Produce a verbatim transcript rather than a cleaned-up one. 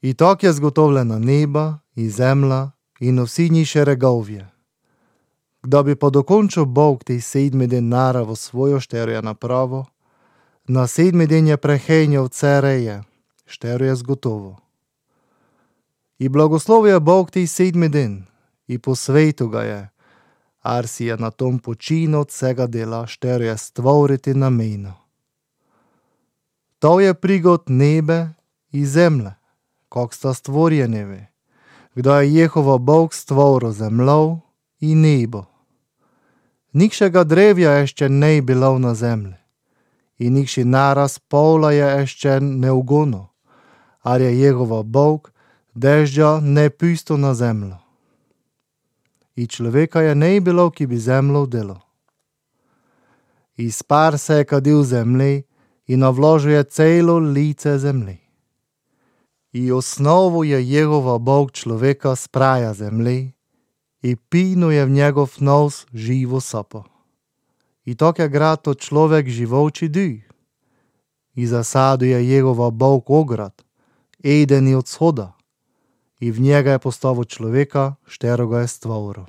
І так є зготовлена неба і земля, і на всі ні шерегов'я. Gda bi pa dokončil Bog tej sedmi den naravo svojo, štero je napravo, na sedmi den je prehenjal cereje, štero je zgotovo. I blagoslovio je Bog tej sedmi den, i posvetil ga je, ar si je na tom počinil od vsega dela, štero je stvoriti nameno. To je prigod nebe i zemlje, kak sta stvorjenevi, gda je Jehova Bog stvoril zemljo i nebo. Nikšega drevja jeszcze ne bilo na zemlji, i nikši naraz pola je jeszcze ne ugono, ar je Jehova Bog dežđa ne pusto na zemljo. I človeka je ne bilo, ki bi zemljo delo. I spar se je kadil zemlji i navložuje celo lice zemlji. I osnovu je Jehova Bog človeka spraja zemlji, i pinuje v njegov nos živo sopo. I tak je grato človek živoči duh. I zasaduje Jehova Bog ograd, eden od shoda, i v njega je postavil človeka, štero ga je stvoril.